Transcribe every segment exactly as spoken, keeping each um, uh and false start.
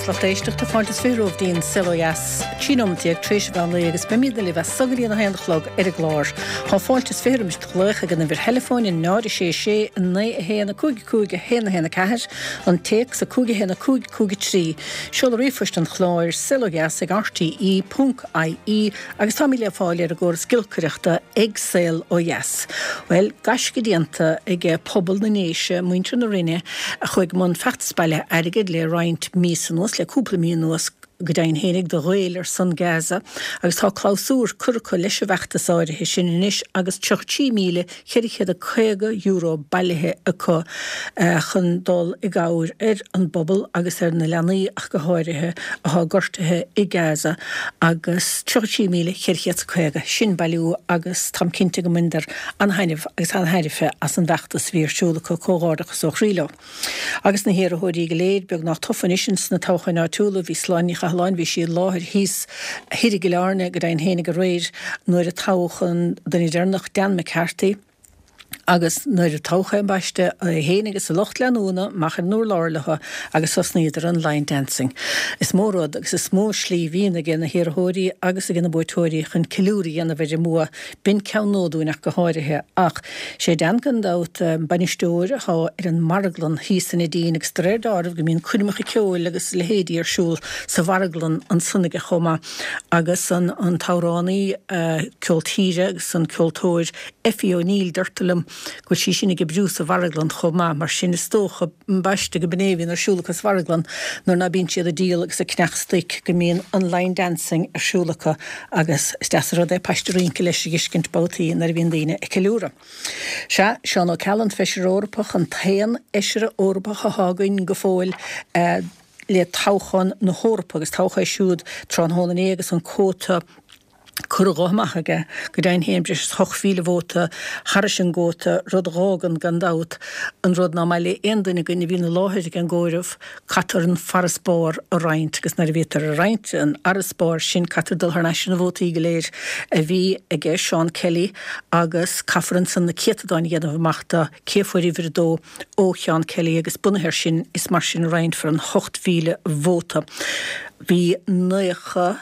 lucht éisteachta fáilte is fiche romhaibh go dtí An Saol Ó Dheas, trí nóiméad déag tar éis an mheán lae agus beimid libh as so go dtí a haon a chlog ar an gclár. Tá fáilte is fiche roimis do ghlaoch ag an uimhir theileafóin náid a sé sé naoi a haon a cúig cúig a haon a haon a ceathair, an téacs a cúig a haon a cúig cúig a trí. Seoladh ríomhphoist an chláir saolodheas ag rte ponc ie agus táimid le fáil ar an gcóras giolcaireachta ag Saol Ó Dheas. Bhuel, gaisce déanta ag pobal na nDéise, muintir na Rinne, a chuaigh i mbun feachtas bailithe airgid le roinnt míosa anuas, le cúpla mí anuas go deimhin fhéinig, do Ghaeil ar son Gaza agus tá clabhsúr curtha acu leis an bhfeachtas áirithe sin anois agus tríocha trí míle ceithre chéad is caoga euro bailithe acu chun dul i gcabhair ar an bpobal agus ar na leanaí ach go háirithe atá gortaithe i Gaza agus tríocha trí míle ceithre chéad is caoga sin bailiú agus táim cinnte go mbaineadar an-thaitneamh agus an-tairbhe as an bhfeachtas a bhí ar siúl acu. Comhghairdeachas ó chroí leo. Agus na hiarrthóirí go léir beagnach tofa anois ins na toghcháin áitiúla, bhí Sláine Ní Chathalláin, bhí sí i láthair thíos thoir i gCill Airne go deimhin fhéinig aréir nuair a toghadh an duine deireanach, Dan McCarthy, agus nuair a toghadh é ambaiste, é fhéin agus a lucht leanúna amach ar an urlár leo agus thosnaíodar an line dancing. Is mó rud agus is mó slí a bhíonn aige na hiarrthóirí agus aige na buaiteoirí chun ceiliúradh a dhéanamh ar a mbua. B'in ceann nua dúinn ach go háirithe. Ach sé Dan gan dabht an bainisteoir atá ar an marglann thíos sa Neidín agus de réir dealraimh go mbíonn coirmeacha ceoil agus a leithéidí ar siúl sa mharglann ansan aige chomh maith. Agus an an t-amhránaí ceol tíre agus an ceoltóir Effie O'Neill deirtear liom go bhfuil sí sin ag oibriú sa mharglann chomh maith. Mar sin is dócha ambaiste go b'in é a bhíonn ar siúl acu sa mharglann nuair ná bíonn siad ag díol agus ag ceannach stoic go mbíonn an line dancing ar siúl acu agus is deas an rud é paiste rince leis a dh'fheiscint babhtaí nuair a bhíonn daoine ag ceiliúradh. Sea, Seán Ó Ceallaigh, an Feisire Eorpach, an t-aon Fheisire Eorpach athá againn go fóill le toghchán na hEorpa agus toghadh é siúd tráthnóna inné agus an cóta curtha dhó amach aige, go deimhin féin, breis is ocht mhíle vóta thairis an gcóta, rud a dh'fhágann, gan dabht, an rud ná maith le aon duine againn a bhíonn i láthair ag an gcomhaireamh, caithfear an farasbarr a roinnt, agus nuair a bhítear ag roinnt an fharasbairr sin, caithfear dul thar n-ais ar na vótaí go léir a bhí aige Seán Kelly, agus caithfear ansan na céatadáin a dhéanamh amach de cé a fuair uimhir a dó ó Sheán Kelly, agus bunaithe air sin, is mar sin a roinnfear an hocht mhíle vóta. Bhí naocha.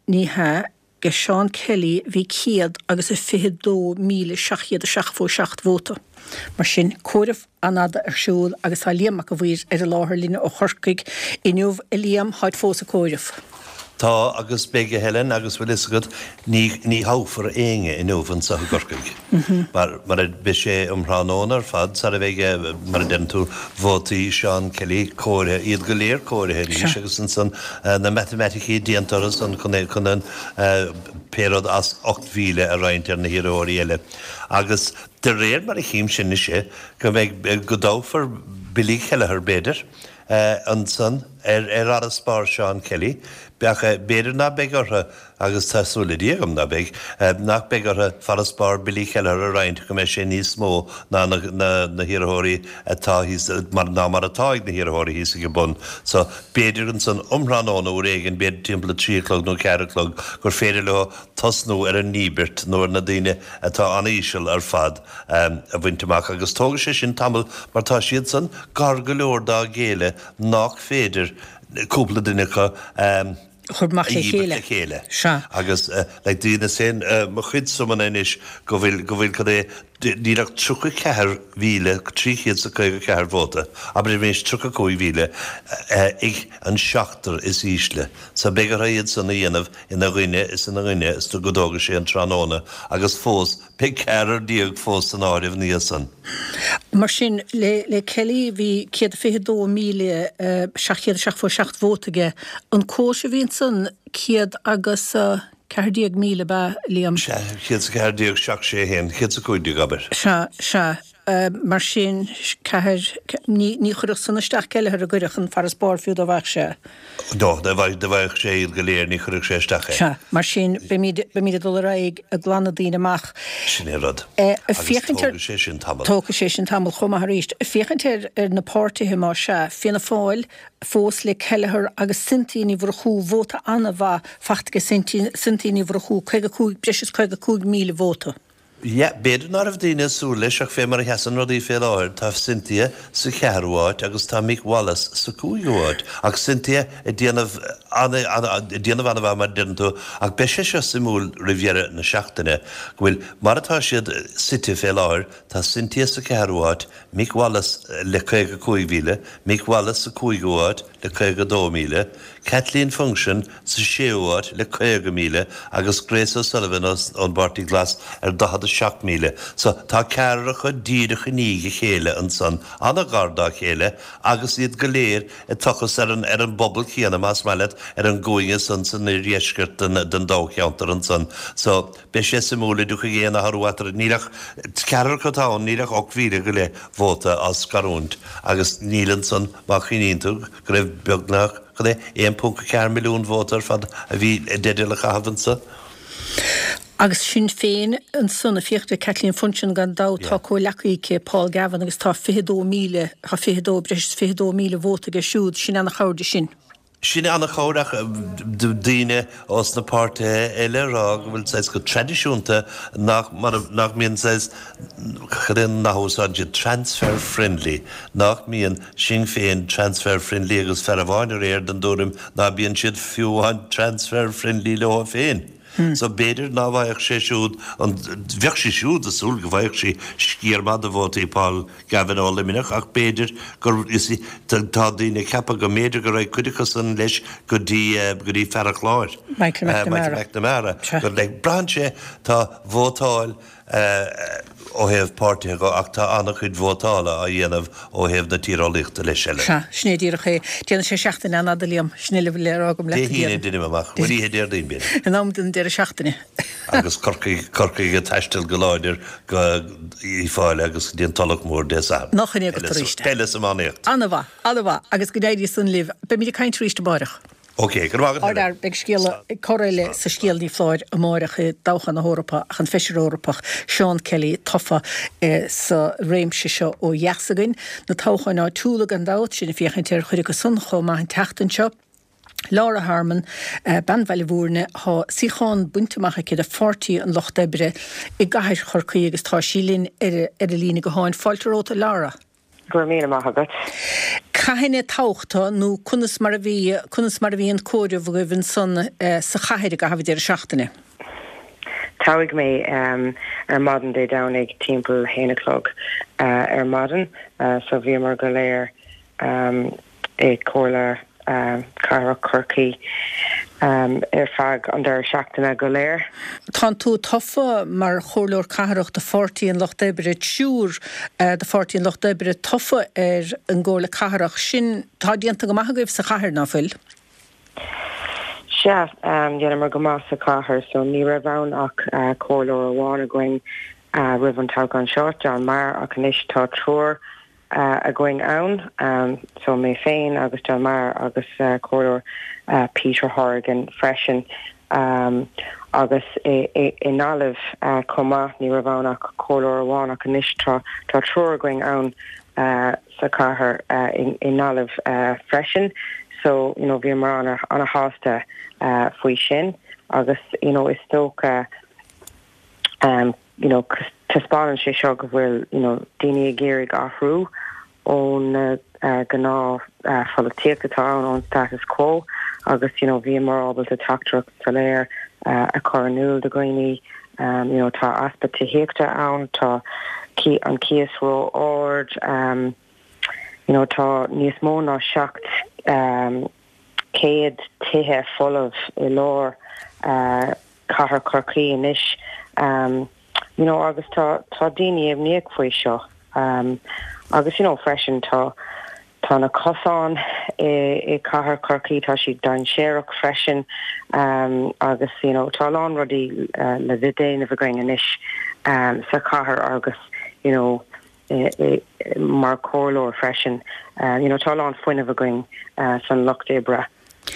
Ní hea, ag Seán Kelly bhí céad agus a fiche dó míle seacht chéad a seachtó seacht vóta. Mar sin, comhaireamh an-fhada ar siúl agus tá Liam Mac a' Mhaoir ar an láthair linn ó Chorcaigh inniu. A Liam, táid fós ag comhaireamh. Tá agus beidh a Helen agus bhfuil fhios agat ní ní thoghfar éinne inniu anseo i gCorcaigh. Mar mar a beidh sé um thráthnóna ar fad sara bheidh mar a deireann tú vótaí Seán Kelly comhairthe, iad go léir comhairthe arís agus ansan na matamaiticí déanta orthu san chun chun an pé rud as ocht mhíle a roinnt ar na hiarrthóirí eile. Agus de réir mar a chímse anois é go mbeidh go dtoghfar Billy Kelleher b'fhéidir ansan ar ar fharasbarr Seán Kelly. Ach b'fhéidir ná beidh orthu, agus tá súil le Dia agam ná beidh, nach beidh orthu farasbarr Billy Kelleher a roinnt go mbeidh sé níos mó ná na na hiarrthóirí atá thíos, mar ná mar atá ag na hiarrthóirí thíos ag an bun. So, b'fhéidir ansan um thráthnóna uair éigin, b'fhéidir timpeall a trí a chlog nó ceathair a chlog, gur féidir leo tosnú ar an ndíbirt nó ar na daoine atá an-íseal ar fad a bhaint amach. Agus tógfaidh sé sin tamall mar tá siadsan gar go leor dá gcéile nách féidir cúpla duine acu a chur amach le dhíbirt le chéile. Sea. Agus like dheineas féin mo chuid suimeanna anois go bhfuil, go bhfuil cad é, níl ach tríocha ceathair mhíle trí chéad is a caoga ceathair vóta, abraimis tríocha cúig mhíle, ag an seachtar is ísle. So beidh orthu iad san a dhéanamh ina dhuine is ina dhuine is go dtógfaidh sé an tráthnóna agus fós beidh ceathrar déag fós san áireamh ina dhiaidh san. Mar sin, le le Kelly bhí céad fiche dó míle seacht chéad seachtó seacht vóta aige. An comhais a bhí ansan céad agus ceathair déag míle ab ea, Liam? Sea, céad is a ceathair déag seacht sé haon, céad is a cúig déag abair. Sea, sea. Mar sin, ceathair, ní ní chuirfeadh san isteach Kelleher an gcuirfeadh an farasbarr fiú dá bhfaigheadh sé. No, dá bhfaigheadh sé iad go léir ní chuirfeadh sé isteach é. Sea, mar sin, beimid, beimid ag dul ar aghaidh ag glanadh daoine amach. Sin é an rud. Agus féachaint ar. Tógfaidh sé sin tamall. Tógfaidh sé sin tamall chomh maith arís. Féachaint ar, ar na páirtithe más ea, Fianna Fáil fós le Kelleher agus Cynthia Ní Mhurchú, vóta an-mhaith faighte ag Cynthia Ní Mhurchú, caoga cúig, breis is caoga cúig míle vóta. Yeah, b'fhéidir ná raibh daoine ag súil leis ach fé mar a sheasann rudaí fé láthair, tá Cynthia sa cheathrú háit agus tá Mick Wallace sa cúigiú háit. Ach Cynthia ag déanamh ag déanamh an-mhaith mar a deireann tú, ach beidh sé seo suimiúil roimh dheireadh na seachtaine, go bhfuil, mar atá siad suite fé láthair, tá Cynthia sa cheathrú háit, Mick Wallace le caoga cúig mhíle, Mick Wallace sa cúigiú háit le caoga dó míle, Kathleen Funchion sa séú háit le caoga míle agus Grace O'Sullivan ón bPáirtí Glas ar daichead a seacht míle. So tá ceathrar acu díreach i ndiaidh a chéile ansan, an-ghar dá chéile agus iad go léir ag tochas ar an ar an bpobal céanna, más maith leat, ar an gcúinge san san oirdheisceart den den dáilcheantar ansan. So beidh sé suimiúil an dtiocfaidh aon athrú eatarthu. Níl ach ceathrar acu atá ann, níl ach ocht mhíle go leith vóta á scarúint agus níl ansan má chuimhníonn tú go raibh beagnach, cad é, aon ponc a ceathair milliún vóta ar fad a bhí i dteideal a chaitheamh anso. Agus Sinn Féin ansan ag féachaint ar Kathleen Funchion gan dabht, tá comhghleacaí aici, Paul Gavin, agus tá fiche dó míle, tá fiche dó, breis is fiche dó míle vóta aige siúd, sin ana-chabhair di sin. Sin ana-chabhair ach daoine ós na páirtithe eile ag rá go bhfuil saghas go traidisiúnta nach mar nach mbíonn saghas, cad é an nath a úsáideann siad, transfer friendly, nach mbíonn Sinn Féin transfer friendly agus fear amháin aréir den dtuairim ná bíonn siad fiú amháin transfer friendly leo féin. So b'fhéidir ná bhfaigheadh sé siúd an, bheadh sí siúd ag súil go bhfaigheadh sí sciar maith de vótaí Paul Gavin ó Luimneach ach b'fhéidir gur, you see, tá daoine ag ceapadh go mb'fhéidir go raghadh cuid acu san leis go dtí, go dtí fear an Chláir, Michael McNamara. Michael McNamara. Go, like, braitheann sé, tá vótáil, ó thaobh páirtithe dhe ach tá an-chuid vótála á dhéanamh ó thaobh na tíreolaíochta leis eile. Sea, sin é díreach é. Déanfaidh sé seachtain an-fhada, Liam. Sin uile a bhfuil le rá agam leat Dé hAoine deinim amach. Bhuel oíche Déardaoin b'fhéidir. In am don deireadh seachtaine. Agus Corcaigh, Corcaigh ag taisteal go láidir go Uíbh Fhailí agus go dtí an Tulach Mhór Dé Sathairn. Nach in é agat arís. Peil is iománaíocht. An-mhaith, an-mhaith. Agus go n-éirí san libh. Beimid ag caint arís amárach. Ok, go raibh maith agat Helen. Beidh scéala, cor eile sa scéal ní foláir amáireach i dtoghchán na hEorpa ach an Feisire Eorpach Seán Kelly tofa sa réimse seo ó dheas againn. Na toghcháin áitiúla gan dabht, sinn ag féachaint ar chuid acu san chomh maith an tseachtain seo. Laura Harmon, bean Bhaile Mhúirne, tá suíochán bainte amach aici do Pháirtí an Lucht Oibre i gcathair Chorcaí agus tá sí linn ar an líne gutháin. Fáilte romhat a Laura. Go raibh míle maith agat. Cathain a toghadh tú nó conas mar a bhí, conas mar a bhí an comhaireamh agaibh ansan sa chathair i gcaitheamh an deireadh seachtaine? Toghadh mé ar maidin Dé Domhnaigh timpeall a haon a chlog ar maidin so bhíomar go léir i Comhairle Cathrach Chorcaí ar feadh an deireadh seachtaine go léir. Tánn tú tofa mar Chomhairleoir Cathrach do Pháirtí an Lucht Oibre, triúr do Pháirtí an Lucht Oibre tofa ar an gComhairle Cathrach. Sin, tá déanta go maith agaibh sa chathair, ná fuil? Sea, dheineamar go maith sa chathair. So ní raibh ann ach comhairleoir amháin againn roimh an toghchán seo, John Meagher, ach anois tá triúr againn ann, so mé féin agus John Meagher agus Comhairleoir Peter Horrigan freisin agus i nGaillimh chomh maith, ní raibh ann ach comhairleoir amháin ach anois tá triúr againn ann sa chathair i nGaillimh freisin so you know bhíomar ana-shásta faoi sin agus you know is dócha you know taispeánann sé seo go bhfuil you know daoine ag iarraidh athrú ón gnáth pholaitíocht atá ann, ón status quo agus you know bhíomar ábalta teachtaireacht soiléir a chur in iúl do dhaoine you know tá easpa tithíochta ann, tá an cíos ró-ard, you know tá níos mó ná seacht céad tithe folamh i lár cathair Chorcaí anois you know agus tá tá daoine imníoch faoi seo agus you know freisin tá tá na cosáin i i cathair Chorcaí tá siad dainséarach freisin agus you know tá a lán rudaí le déanamh againn anois sa chathair agus you know mar chomhairleoir freisin. You know tá a lán fuinnimh againn san lucht oibre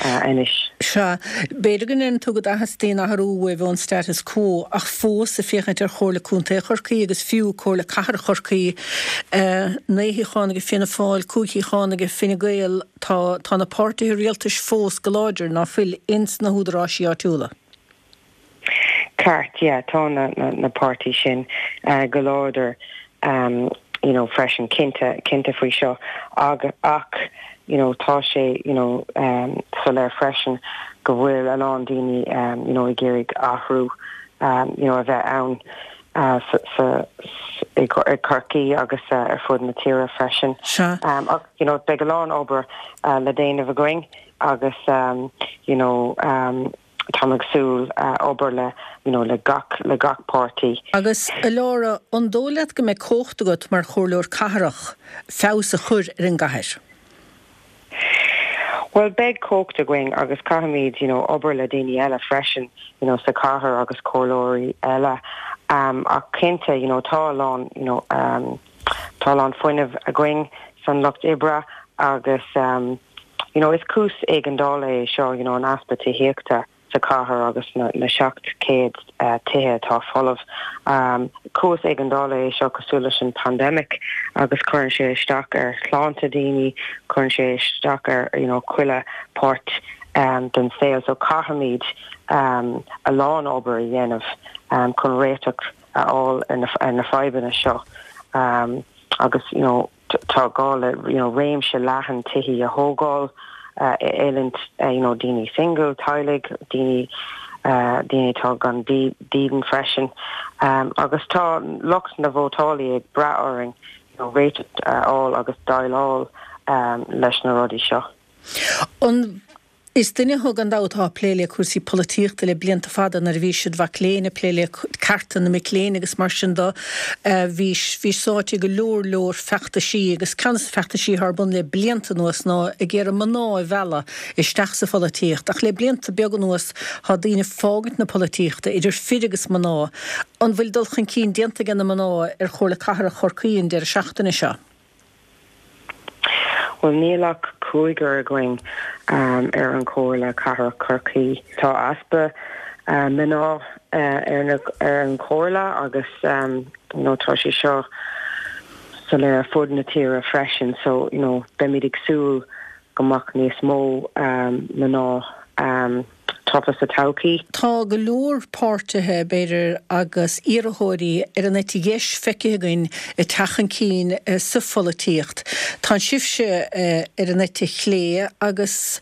anois. Sea, b'fhéidir go ndeireann tú go dteastaíonn athrú uaibh ón status quo ach fós ag féachaint ar Chomhairle Contae Chorcaí agus fiú Comhairle Cathrach Chorcaí, naoi shuíochán ag Fianna Fáil, cúig shuíochán ag Fine Gael, tá tá na páirtithe rialtais fós go láidir, ná fuil, ins na húdaráisí áitiúla. Ceart, yeah, tá na, na, na páirtí sin uh, go láidir um, you know, freisin cinnte cinnte faoi seo ag ach you know, tá sé you know, um, soiléir freisin go bhfuil a lán daoine um, you know, ag iarraidh athrú um, you know, a bheith ann uh, sa, i Corcaigh agus uh, ar fud na tíre freisin. Um, ach, you know, beidh a lán obair uh, le déanamh againn agus um, you know, um, tá ag súil uh, obair le you know, le gach le gach páirtí. Agus a Laura an dóigh leat go mbeidh cumhacht agat mar chomhairleoir cathrach feabhas a chur ar an gcathair. Well beidh cumhacht againn agus caithfimid you know, obair le daoine eile freisin you know, sa chathair agus comhairleoirí eile um, ach cinnte you know, tá lán you know, um, tá lán fuinnimh againn san lucht oibre agus um, you know, is cúis éigeandála é seo you know, an easpa tithíochta sa chathair agus na, na seacht céad uh, tithe atá folamh. Um, cúis éigeandála é seo cosúil leis an pandemic agus cuireann sé isteach ar shláinte daoine, cuireann sé isteach ar you know, chuile pháirt um, den saol, so caithfimid um, a lán obair a dhéanamh um, chun réiteach a fháil ar na, ar na fadhbanna seo. Um, agus you know, tá gá le you know, réimse leathan tithe a thógáil, uh, oiliúint uh, you know, daoine single teaghlaigh daoine uh, daoine atá gan dídean freisin um, agus tá lucht na vótálaí ag brath orainn you know, réiteach uh, fháil agus déileáil um, leis na rudaí seo. An Is duine thú gan dabht atá ag plé le cúrsaí polaitíochta le blianta fada nuair a bhí siad mhic léinn ag plé le cearta na mic léinn agus mar sin de bhí bhí sáite go leor leor feachtaisí agus ceann de na feachtaisí ar bun le blianta anuas ná ag iarraidh mná a mhealladh isteach sa pholaitíocht ach le blianta beaga anuas tá daoine ag fágaint na polaitíochta idir fir agus mná an bhfuil dul chun cinn déanta ag na mná ar Chomhairle Cathrach Chorcaí an deireadh seachtaine seo. Well níl ach cúigear againn um, ar an Chomhairle Cathrach Chorcaí. Tá easpa uh, mná uh, ar, na, ar an Chomhairle agus um, you know, tá sé seo soiléir ar fud na tíre freisin, so you know, beimid ag súil go mbeadh níos mó um, mná um, tofa sa todhchaí. Tá go leor páirtithe b'fhéidir agus iarrthóirí ar an eite dheis feicthe againn ag teacht chun cinn sa pholaitíocht. Tá sibhse ar an eite chlé agus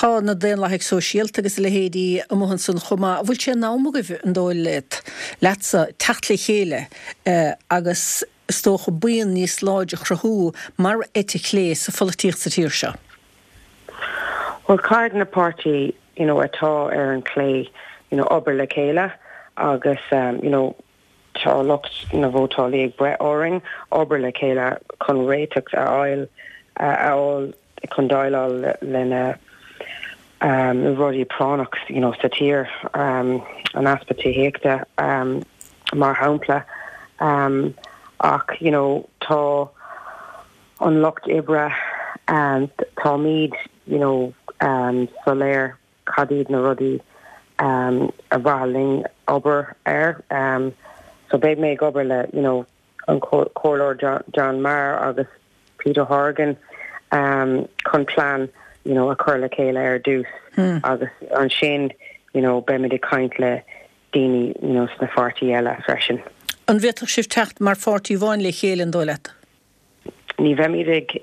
tá na Daonlathaigh Sóisialta agus a leithéidí amuigh ansan chomh maith. Bhfuil sé in am agaibh an dóigh leat leatsa teacht le chéile agus is dócha buíon níos láidre a chruthú mar eite chlé sa pholaitíocht sa tír seo. Well caithfidh na páirtí you know, atá ar an chlé you know, obair le chéile agus um, you know, tá lucht na vótálaí ag breith orainn obair le chéile chun réiteach a fháil a fháil chun déileáil lena um, rudaí práinneach you know, sa tír um, an easpa tithíochta um, mar shampla um, ach you know, tá an lucht oibre um, táimid you know, um, soiléir cad iad na rudaí um, ar mhaith linn obair air. Um, so beidh mé ag obair le you know, an comhairleoir John, John Maher agus Peter Horgan um, chun plean you know, a chur le chéile ar dtús hmm. agus ansin you know, beimid ag caint le daoine you know, sna páirtí eile freisin. An bhféadfadh sibh teacht mar pháirtí amháin le chéile an dóigh leat? Ní bheimid ag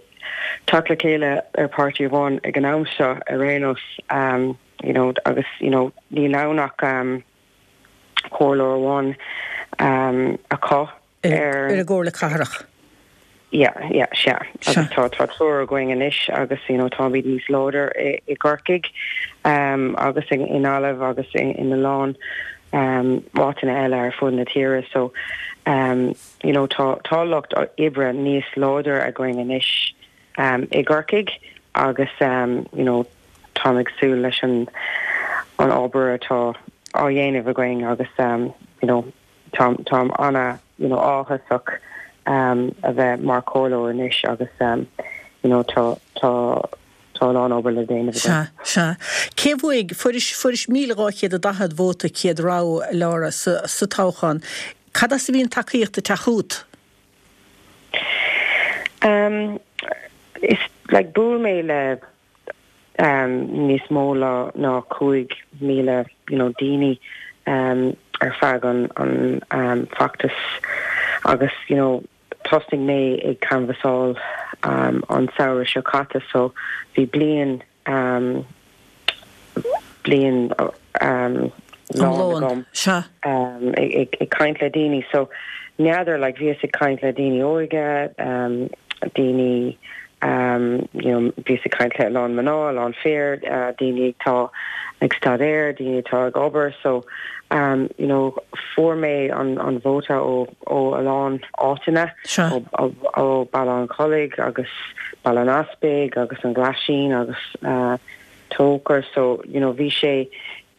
teacht le chéile ar pháirtí amháin ag an am seo ar aon nós um, you know, agus you know, níl ann ach um, comhairleoir amháin um, acu ar ar an gComhairle Cathrach. Yeah, yeah, sea. Agus tá tá triúr againn anois agus you know, táimid níos láidre i, i gCorcaigh um, agus in, in Gaillimh agus in, in a lán um, áiteanna eile ar fud na tíre so um, you know, tá tá lucht oibre níos láidre againn anois um, i gCorcaigh agus um, you know, tá ag súil leis an an obair atá á dhéanamh againn agus um, you know, tá tá ana you know, áthasach um, a bheith mar chomhairleoir anois agus um, you know, tá tá tá lán obair le déanamh. Sea, sea. Cé bhuaigh fuairis fuairis míle dhá chéad a daichead vóta céad rogha Laura sa, sa toghchán. Cad as a bhí an tacaíocht ag teacht chugat? Um, is like bhuail mé le um, níos mó ná cúig míle you know, daoine um, ar feadh an an um, feachtas agus you know tosnaigh mé ag canbhasáil um, an samhradh seo caite so bhí bliain um, bliain um, lán um, ag, ag caint le daoine so n'fheadar like bhíos ag caint le daoine óga um, daoine um, you know, bhíos ag caint le lán mná lán fear uh, daoine atá ag staidéar daoine atá ag obair so um, you know, fuair mé an, an vóta ó ó a lán áiteanna ó, ó Baile an Chollaigh agus Baile an Easpaig agus an Ghlaisín agus uh, Tóchar so you know, bhí sé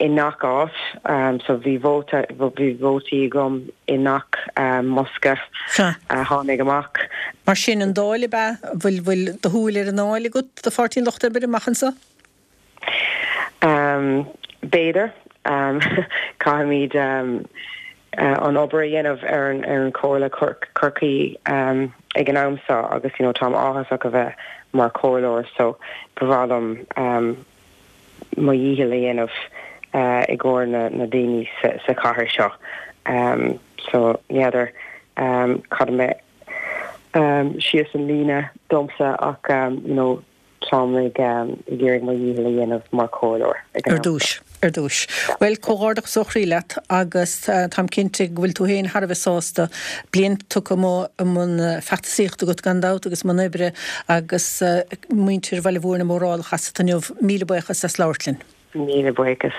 i ngach áit um, so bhí vóta bhí vótaí agam i ngach um, mbosca uh, tháinig amach. Mar sin an Dáil be bhfuil bhfuil do shúil ar an nDáil agat do Pháirtí an Lucht Oibre amach anseo? Um, B'fhéidir um, caithfimid um, uh, an obair a dhéanamh ar an ar an Chomhairle Chorcaí um, ag an am seo agus you know, táim áthasach a bheith mar chomhairleoir so ba mhaith liom um, mo dhícheall a dhéanamh uh, i gcomhair na, na daoine sa, sa chathair seo. Um, so n'fheadar um, cad a mbeidh um, síos an líne domsa ach um, you know, táim ag um, ag iarraidh mo dhícheall a dhéanamh mar chomhairleoir. Ar dtús. Ar dtús. Well comhghairdeachas ó chroí leat agus uh, táim cinnte go bhfuil tú féin thar a bheith sásta bliain tugtha i mbun feachtasaíochta agat gan dabht agus mbun oibre agus uh, muintir Bhaile Mhúirne mórálach asat inniu míle buíochas as labhairt linn. Míle buíochas.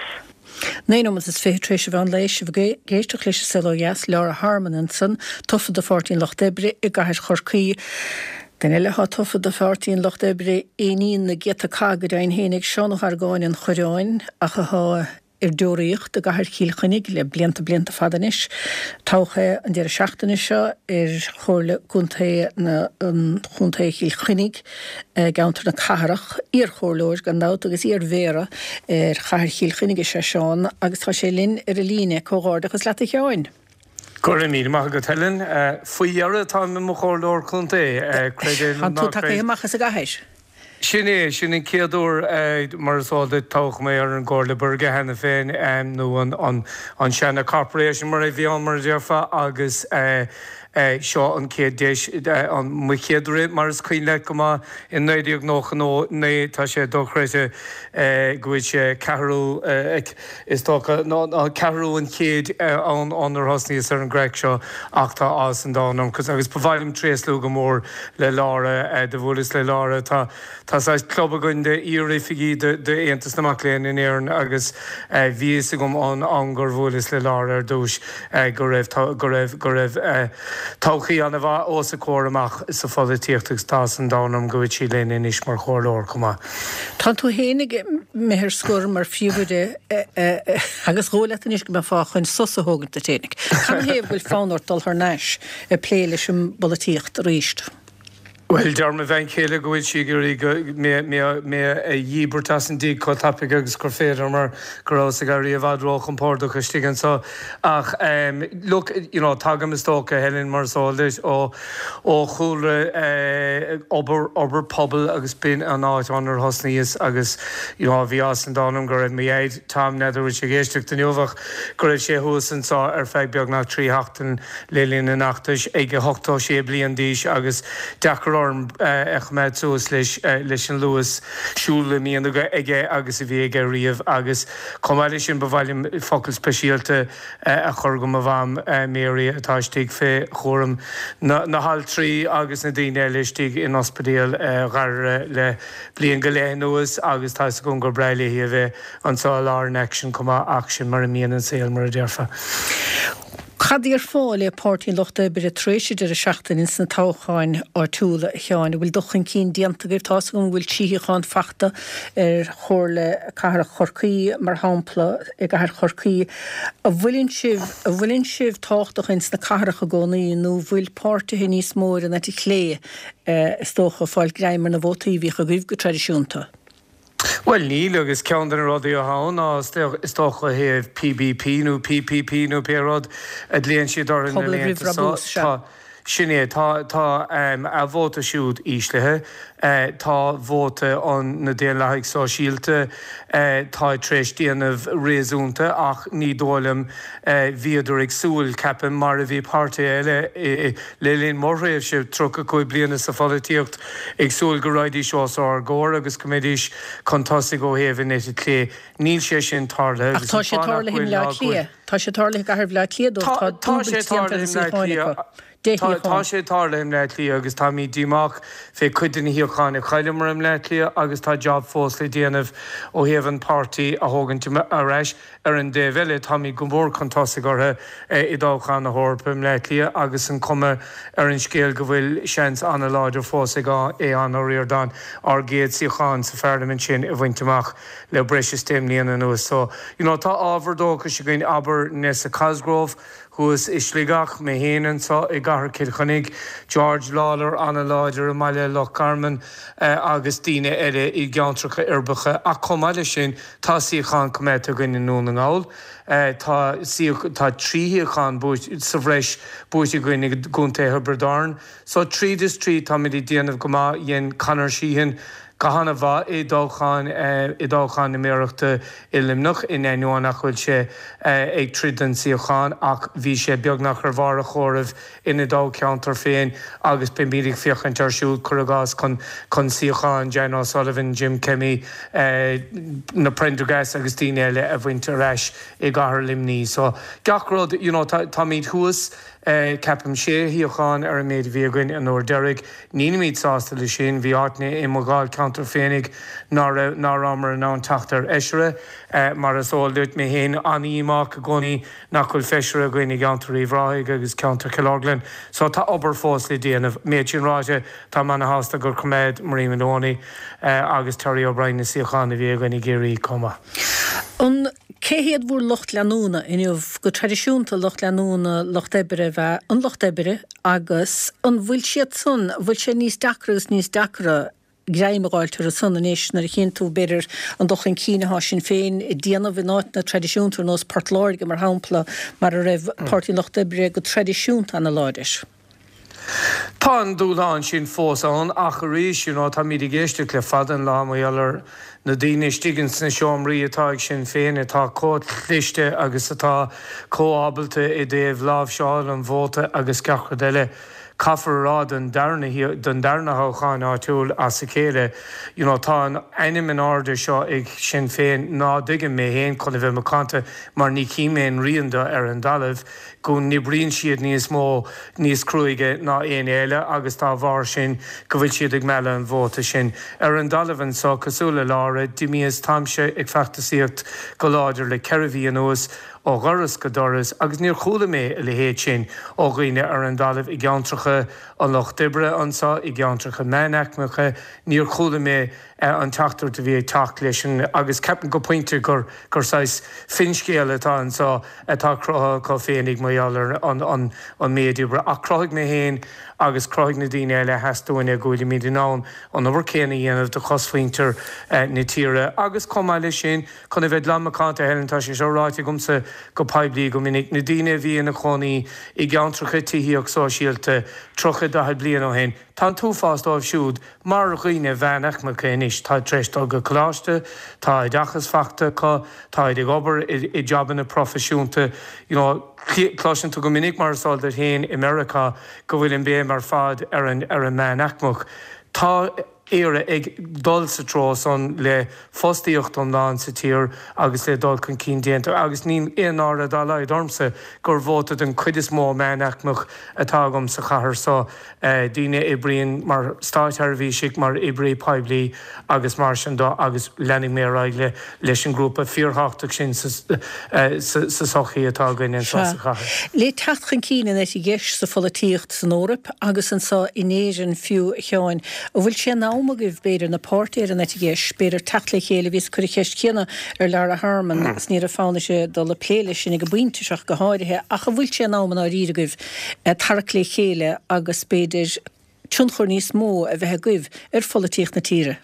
Naoi nóiméad is fiche tar éis an mheán lae sibh ag éisteacht leis an Saol Ó Dheas Laura Harmon ansan tofa do Pháirtí an Lucht Oibre i gcathair Chorcaí. Duine eile atá tofa do Pháirtí an Lucht Oibre éiníon na gcéadta cath go deimhin fhéinig Seán Ó hArgáin an Choireáin ach atá ar deoraíocht i gcathair Chill Chainnigh le blianta blianta fada anois. Toghadh é an deireadh seachtaine seo ar Chomhairle Contae na Chontae Chill Chainnigh i gceantar na cathrach, iarchomhairleoir gan dabht agus iarmhéara ar chathair Chill Chainnigh is ea Seán agus tá sé linn ar an líne. Comhghairdeachas leat a Sheáin. Go raibh míle maith agat Helen, faoi dheireadh táim i mo chomhairleoir contae, creid é nó Tá tú ná tagtha creid. amach as an gcathair. Sin é, sin an chéad uair mar is eol duit toghadh mé ar an gComhairle Buirge cheana féin nó an an an seana Corporation mar a bhí ann mar a déarfá agus seo an chéad deis an mo chéad rith mar is cuimhin leat go maith in naoi déag nócha naoi tá sé dochreidte go bhfuil sé ceathrú is dócha ná ceathrú an chéid ann ónar thosnaíos ar an gcraic seo ach tá áthas an domhain orm agus ba mhaith liom tréaslú go mór le Laura do bhuaileas le Laura tá tá saghas club againn de iaroifigigh de d'Aontas na Mac Léinn in Éirinn agus bhí fhios agam an am gur bhuaileas le Laura ar dtús go raibh go raibh go raibh todhchaí an-mhaith os a comhair amach sa pholaitíocht agus tá áthas an domhain orm go bhfuil sí linn anois mar chomhairleoir chomh maith. Tá tú féin ag imeacht ar scor mar phríomhoide agus dhóigh leat anois go mbeifeá chun sos a thógaint duit fhéinig. Canathaobh go bhfuil fonn ort dul thar n-ais ag plé leis an bpolaitíocht arís? Bhuel, deir mo bhean chéile go bhfuil sí ag iarraidh go mé mé mé a dhíbirt as an dtigh chomh tapaidh agus gur féidir mar go rabhas ag éirí i bhfad róchompordach istigh anseo. Ach um, look, you know, tagaim is dócha Helen mar is eol duit ó ó chúlra eh, obair obair pobail agus b'in an áit inar thosnaíos agus you know, bhí áthas an domhain orm go raibh mo dhaid Tom n'fheadar an bhfuil sé ag éisteacht inniu ach go raibh sé thuas anseo ar feadh beagnach trí sheachtain le linn an fheachtais ag a hochtó sé bliain d'aois agus deacair orm a choimeád suas leis leis an luas siúil a mbíonn aige agus a bhí aige riamh agus chomh maith leis sin ba mhaith liom focal speisialta a chur go mo mham Mary atá istigh fé chúram na na haltraí agus na daoine eile istigh in ospidéal Ghaire le bliain go leith anuas agus tá fhios agam gur breá léi a bheith anseo i lár an aicsin chomh maith ach sin mar a mbíonn an saol mar a déarfá. Cad déarfá le Páirtí an Lucht Oibre tar éis an deireadh seachtaine sna toghcháin áitiúla a Sheáin, an bhfuil dul chun cinn déanta agaibh tá fhios agam go bhfuil trí shuíochán fachta ar Chomhairle Cathrach Chorcaí mar shampla i gcathair Chorcaí. An bhfuileann sibh an bhfuileann sibh tábhachtach ins na cathracha i gcónaí nó bhfuil páirtithe níos mó ar an eite chlé is dócha fáil greim ar na vótaí a bhíodh agaibh go traidisiúnta? Well níl agus ceann de na rudaí atá ann ná is dócha thaobh PBP nó PPP nó pé rud a ghlaonn siad orthu na Pobal roimh laethanta seo. Brabús, sea. Tá Sin é, tá tá a vóta siúd íslithe, tá vóta an na Daonlathaigh Sóisialta tá tar éis déanamh réasúnta ach ní dóigh liom bhíodar ag súil, ceapaim, mar a bhí páirtithe eile le linn mo thréimhse tríocha cúig bliana sa pholaitíocht ag súil go raghaidís os ár gcomhair agus go mbeidís chun tosaigh ó thaobh an eite chlé. Níl sé sin tarlaithe Ach tá sé tarlaithe i mBleá Cliath. Tá sé tarlaithe i gcathair Bhleá Cliath dóibh, tá dúbailt déanta ar na suíocháin acu. Deich Tá shuíochán. sé tarlaithe i mBleá Cliath agus táimid díomách fé cuid de na shuíocháin a chailleamar i mBleá Cliath agus tá job fós le déanamh ó thaobh an páirtí a thógaint ar ais. Ar an dtaobh eile, táimid go mór chun tosaigh orthu i dtoghchán na hEorpa i mBleá Cliath agus an cuma ar an scéal go bhfuil seans an-láidir fós ag Aodhán Ó Ríordáin ár gcéad suíochán sa pharlaimint sin a bhaint amach le breis is deich mbliana anuas. So, you know, tá ábhar dóchais againn, abair Nessa Cosgrove, Thuas i Sligeach, mé féin anseo i gcathair Chill Chainnigh, George Lawlor an-láidir i mbaile Loch Garman agus daoine eile i gceantracha uirbeacha. Ach chomh maith leis sin, tá suíochán coimeádta againn i nDún na nGall. Tá tá trí shuíochán sa bhreis buaite againn i gContae Thiobraid Árann. So tríd is tríd táimid ag déanamh go maith. Dhein Conor Sheehan go han-mhaith i dtoghchán i dtoghchán na méarachta i Luimneach, in ainneoin nach bhfuil sé ag troid don suíochán, ach bhí sé beagnach ar bharr a chomhairimh ina dtoghcheantar féin agus beimid ag féachaint air siúd, cuir i gcás, chun chun suíochán Jan O'Sullivan, Jim Kemmy, na Prendergast agus daoine eile a bhaint ar ais i gcathair Luimnigh. So gach rud, you know, táimid thuas. Ceapaim sé shuíochán ar an méid a bhí againn an uair deiridh. Nílimid sásta leis sin. Bhí áiteanna i mo dháilcheantar féinig ná raibh, ná rabhamar in ann teacht ar fheisire. Mar is eol duit, mé féin an-dhíomách i gcónaí nach bhfuil feisire againn i gceantar Uíbh Ráthaigh agus ceantar Chill Orglan. So tá obair fós le déanamh. Méid sin ráite, táim ana-shásta gur choimeád Marie Moloney agus Terry O'Brien na suíocháin a bhí againn i gCiarraí chomh maith. An Cé hiad bhur lucht leanúna inniu? Go traidisiúnta, lucht leanúna Lucht Oibre ab ea an Lucht Oibre agus an bhfuil siad san, an bhfuil sé níos deacra agus níos deacra greim a dh'fháilt orthu san anois nuair a chíonn tú, b'fhéidir, an dul chun cinn atá Sinn Féin ag déanamh in áiteanna traidisiúnta ar nós Port Láirge, mar shampla, mar a raibh Páirtí an Lucht Oibre go traidisiúnta ana-láidir. Tá an dúshlán sin fós ann ach arís, you know, táimid ag éisteacht le fada an lá mar gheall ar na daoine istigh ins na seomraí atá ag Sinn Féin atá chomh cliste agus atá chomh ábalta i dtaobh láimhseáil an vóta agus gach rud eile. Caithfear a rá don darna don darna thoghchán áitiúil as a chéile, you know, tá an ainm in airde seo ag Sinn Féin ná dtuigim mé féin chun a bheith macánta mar ní chím aon rian de ar an dtalamh. go n-oibríonn siad níos mó, níos cruaidhe ná éinne eile agus dá bharr sin go bhfuil siad ag mealladh an vóta sin. Ar an dtalamh anso, cosúil le Lára, d'imíos, táimse ag feachtasaíocht go láidir le ceithre mhí anuas, ó dhoras go doras, agus níor chuala mé a leithéid sin ó dhaoine ar an dtalamh i gceantracha an lucht oibre anso, i gceantracha meánaicmeacha, níor chuala mé an teachtaireacht a bhí ag teacht leis an, agus ceapaim go pointe gur gur saghas finscéal atá anso atá cruthaithe acu féinig mar gheall ar an an an méid oibre. Ach chruthaigh mé féin agus chruthaigh na daoine eile a sheas dúinne go bhfuilimid in ann an obair chéanna a dhéanamh do chosmhuintir na tíre. Agus chomh maith leis sin, chun a bheith glan macánta, Helen, tá sé seo ráite agamsa go poiblí go minic, na daoine a bhí ina chónaí i gceantracha tithíocht sóisialta tríocha, daichead bliain ó shin, Tá an t-uafás dóibh siúd mar dhaoine mheánaicmeacha anois, táid tar éis dul go coláiste, tá oideachas faighte acu, táid ag obair i jabanna proifisiúnta, you know, cloiseann tú go minic, mar is eol duit féin, i Meiriceá go bhfuil an béim ar fad ar an ar an meánaicmeach. Tá Éire ag dul sa treo san le fostaíocht iomlán sa tír agus le dul chun cinn déanta agus níl aon náire dá laghad ormsa gur vóta den chuid is mó meánaicmeach atá agam sa chathair so, daoine a oibríonn mar státseirbhísigh, mar oibrí poiblí agus mar sin de agus leanfaidh mé ar aghaidh leis an ngrúpa fíorthábhachtach sin sa sochaí atá againn anseo sa chathair. Le teacht chun cinn an eite dheis sa pholaitíocht san Eoraip agus anseo in Éirinn fiú, a Sheáin, an bhfuil sé in am agaibh, b'fhéidir, na páirtithe ar an eite dheis, b'fhéidir, teacht le chéile? Bhíos ag cur an cheist chéanna ar Lara Harmon agus ní raibh fonn uirthi dul ag plé leis sin ag an bpointe seo ach go háirithe, ach an bhfuil sé in am i ndáiríre agaibh tarrac le chéile agus, b'fhéidir, tionchar níos mó a bheith agaibh ar pholaitíocht na tíre?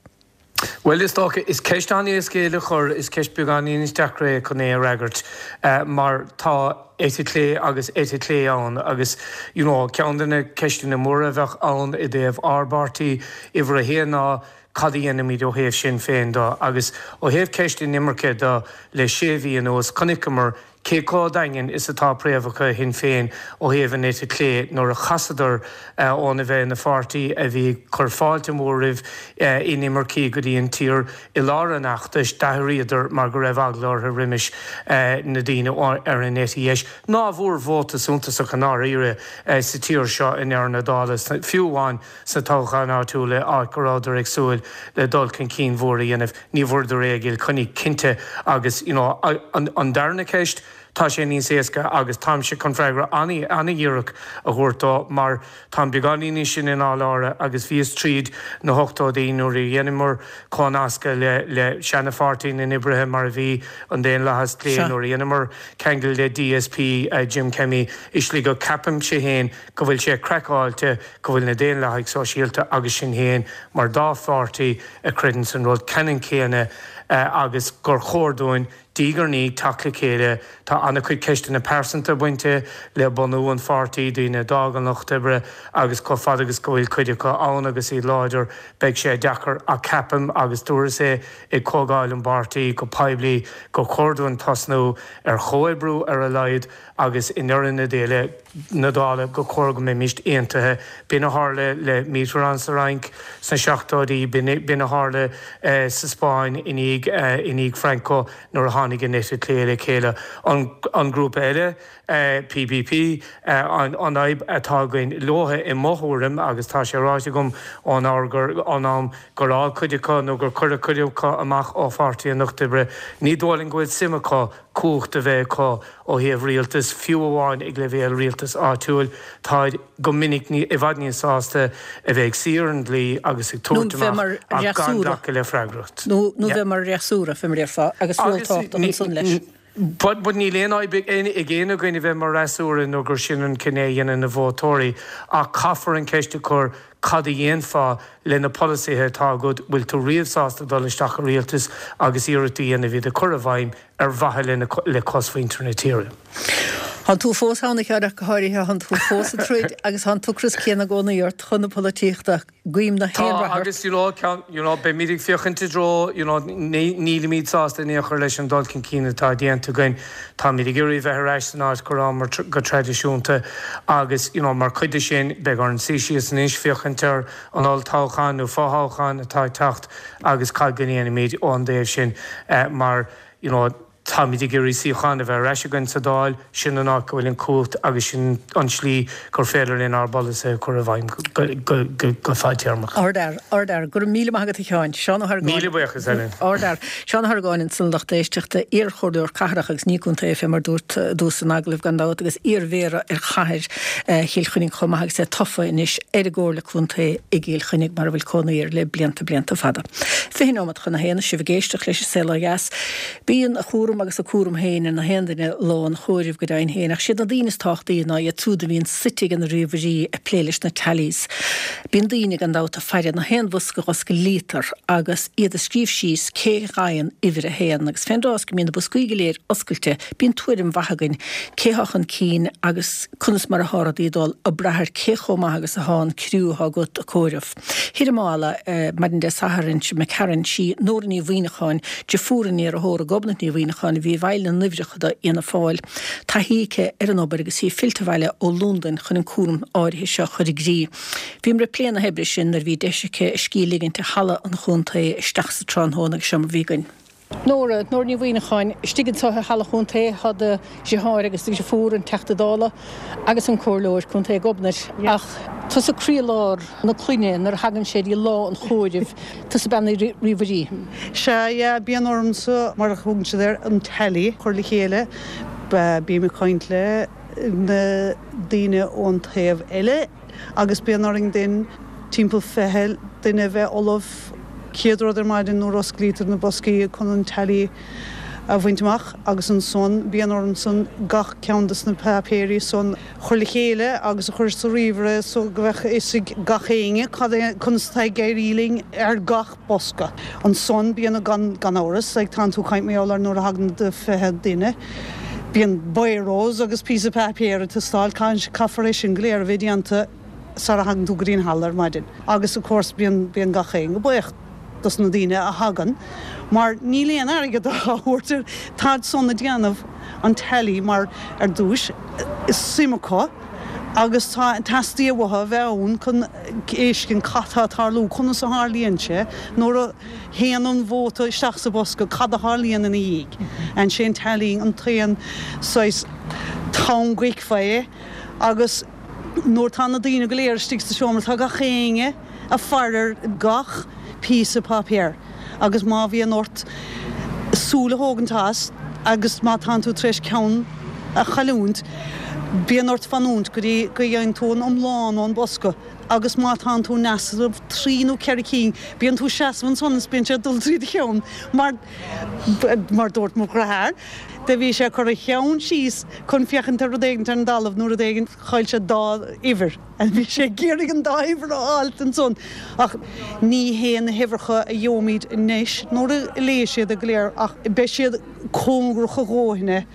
Bhuel, is dócha, is ceist an-éasca é le cur, is ceist beagáinín níos deacra é chun é a fhreagairt, mar tá eite chlé agus eite chlé ann agus, you know, ceann de na ceisteanna móra a bheadh ann i dtaobh ár bpáirtí, uimhir a haon ná cad a dhéanfaimid ó thaobh Sinn Féin de agus ó thaobh ceist inimirce de le sé mhí anuas, chonaiceamar Cé chomh daingean is atá préamhacha Shinn Féin ó thaobh an eite chlé nuair a chasadar óna bheith ina pháirtí a bhí ag cur fáilte mhór roimh inimircigh go dtí an tír i lár an fheachtais, d'athraíodar mar go raibh eagla orthu roimis na daoine ar an eite dheis ná bhfuair vóta suntasach i ndáiríre sa tír seo i ndeireadh na dála, fiú amháin sna toghcháin áitiúla áit go rabhadar ag súil le dul chun cinn mhór a dhéanamh. Ní bhfuaireadar é i gCill Chainnigh, cinnte, agus you know an darna ceist, tá sé níos éasca agus táimse chun freagra an-dhíreach a thabhairt dó mar táim beagáinín níos sine ná Laura agus bhíos tríd na hochtóidí nuair a dheineamar comhnascadh le le seana-pháirtí na n-oibrithe mar a bhí an Daonlathas Clé nuair a dheineamar ceangal le DSP Jim Kemmy i Sligeach ceapaimse féin go bhfuil sé craiceáilte go bhfuil na Daonlathaigh Sóisialta agus Sinn Féin mar dá pháirtí a chreideann san rud ceannann céanna agus gur chóir dúinn diaidh ar ndiaidh teacht le chéile. Tá an-chuid ceisteanna pearsanta bainte le bunú an pháirtí, daoine a d'fhág an Lucht Oibre agus chomh fada agus go bhfuil cuid acu ann agus iad láidir, beidh sé deacair ach ceapaim, agus dúras é ag comhdháil an pháirtí go poiblí, gur chóir dúinn tosnú ar chomhoibriú ar a laghad agus i ndeireadh na déile, na dála, gur chóir go mbeimíst aontaithe. B'in a tharla le Mitterrand sa Fhrainc sna seachtóidí, b'in a tharla sa Spáinn i ndiaidh, i ndiaidh Franco nuair a tháinig an eite chlé le chéile. An grúpa eile, PPP, an fhadhb atá againn leotha i mo thuairim, agus tá sé ráite agam ón ón am gur fhág cuid acu nó gur cuireadh cuid acu amach ó Pháirtí an Lucht Oibre, ní dóigh liom go bhfuil suim acu cumhacht a bheith acu ó thaobh rialtais, fiú amháin ag leibhéal rialtais áitiúil. Táid go minic i bhfad níos sásta a bheith ag suí ar an dlí agus ag Nó tabhairt bheith amach mar ach gan fhreasúra. glacadh le freagracht. Nó nó Yeah. bheith mar fhreasúra, fé mar a déarfá, agus ról Agus tábhachtach ní, ansan leis. But, but níl aon fhadhb ag aon againn a bheith mar fhreasúra nó gur sin an cinneadh a dhéanann na vótóirí, ach caithfear an ceist a chur, cad a dhéanfá le na polasaithe atá agat, bhfuil tú riamh sásta dul isteach i rialtas agus iarracht a dhéanamh iad a chur i bhfeidhm ar mhaithe le cosmhuintir na tíre? Thánn tú fós ann, a Sheáin, ach go háirithe, thánn tú fós ag troid agus thá an t-ocras céanna i gcónaí ort chun na polaitíochta. Guím na haon Tá, rath ort. agus you know, ceann, you know, beimid ag féachaint i dtreo, you know, nílimid sásta in aon chor leis an dul chun cinn atá déanta againn. Táimid ag iarraidh bheith ar ais san áit go rabhamar go traidisiúnta agus, you know, mar chuid de sin, beidh orainn suí síos anois féachaint ar an olltoghchán nó fothoghchán atá ag teacht agus cad go ndéanfaimid ón dtaobh sin mar, you know, Táimid ag iarraidh suíochán a bheith ar ais againn sa Dáil, sin an áit go bhfuil an chumhacht agus sin an tslí gur féidir linn ár bpolasaithe a chur i bhfeidhm go fadtéarmach. Ardfhear, ardfhear. Go raibh míle maith agat a Sheáin. Seán Ó hArgáin. Míle buíochas, Helen. Ardfhear. Seán Ó hArgáin ansan lucht éisteachta, iar-chomhairleoir cathrach agus ní contae fé mar dúirt i dtús an agallaimh gan dabht agus iar-mhéara ar chathair Chill Chainnigh chomh maith agus é tofa anois ar an gComhairle Contae i gCill Chainnigh mar a bhfuil cónaí air le blianta blianta fada. Fiche nóiméad chun a haon, sibh ag éisteacht leis an Saol Ó Dheas. Bíonn a chúram agus a cúram féin ar na haon duine lá an chomhairimh go deimhin féin, ach siad na daoine is tábhachtaí ná iad siúd a bhíonn suite ag na ríomhairí ag plé leis na tallies. Bíonn daoine gan dabht ag faire na haon bhosca a osclaítear agus iad ag scríobh síos cé a fhaigheann uimhir a haon, agus fén dtráth is go mbíonn na boscaí go léir oscailte, bíonn tuairim mhaith againn cé thá chun cinn agus conas mar athá rudaí ag dul, ag brath ar cé chomh maith agus athá an criú athá agat ag comhaireamh. Thoir i Maigh Eala maidin Dé Sathairn seo imigh tharainn, sí Nóra Ní Mhuimhneacháin, deirfiúr an iarrthóra Gobnait Ní Mhuimhneacháin a bhí i bhfeighil na n-uimhreacha do Fhianna Fáil. Taithí aici ar an obair agus í fillte abhaile ó Londain chun an cúram áirithe seo a chur i gcrích. Bhíomar ag plé na hoibre sin nuair a bhí deis aici a scíth a ligint i Halla an Chontae isteach sa tráthnóna agus seo mar a bhí againn. Nóra, Nóra Ní Mhuimhneacháin, istigh anseo i Halla an Chontae tá do dheartháir agus do dheirfiúr, an Teachta Dála agus an Comhairleoir Contae Gobnait, ach tusa croílár na clainne nuair a thagann sé dtí lá an chomhairimh, tusa bean na ríomhairí. Sea, yeah, bíonn ormsa, mar a thugann siad air, an tally a chur le chéile. Bím ag caint le na daoine ón taobh eile agus bíonn orainn then timpeall fiche duine a bheith ullamh chéad rud ar maidin nuair a osclaítear na boscaí chun an tally a bhaint amach agus ansan bíonn orainn san gach ceann des na páipéirí san chur le chéile agus a chur sa ríomhaire so go bheadh fhios ag gach éinne cad é conas atá ag éirí linn ar gach bosca. Ansan bíonn gan gan amhras ag tánn tú caint mar gheall ar nuair a thagann do fiche duine bíonn biros agus píosa páipéir ag teastáil caithfear é sin go léir a bheith déanta sara thagann tú go dtí an halla ar maidin. Agus of course bíonn bíonn gach éinne buíoch dos na daoine a thagann, mar níl aon airgead á thabhairt ar táid san ag déanamh an tally mar ar dtús is suim acu agus tá teastaíonn uathu a bheith ann chun fheiscint cad tá ag tarlú, conas a tharlaíonn sé nuair a théann an vóta isteach sa bhosca, cad a tharlaíonn ina dhiaidh. And sé an tallying an t-aon saghas t-am go bhfeicfeá é agus nuair tá na daoine go léir istigh sa seomra tá gach éinne ag faire ar gach píosa páipéir agus má bhíonn ort súil a thógaint as agus má tánn tú tar éis ceann a chailliúint, bíonn ort fanúint go dtí go dhéanann tú an iomlán ón bosca agus má tánn tú in easnamh trí nó ceithre cinn, bíonn tú seasamh ansan is bíonn sé ag dul trí do cheann mar mar dúirt mo dheartháir, do bhí sé ag cur a cheann síos chun féachaint ar rud éigin ar an dtalamh nó rud éigin, chaill sé dá uimhir. Bhí sé ag iarraidh an dá uimhir a fháilt ansan ach ní hé na huimhreacha a gheobhaimid anois nuair a léigh siad go léir ach beidh siad cóngarach a dhóthain.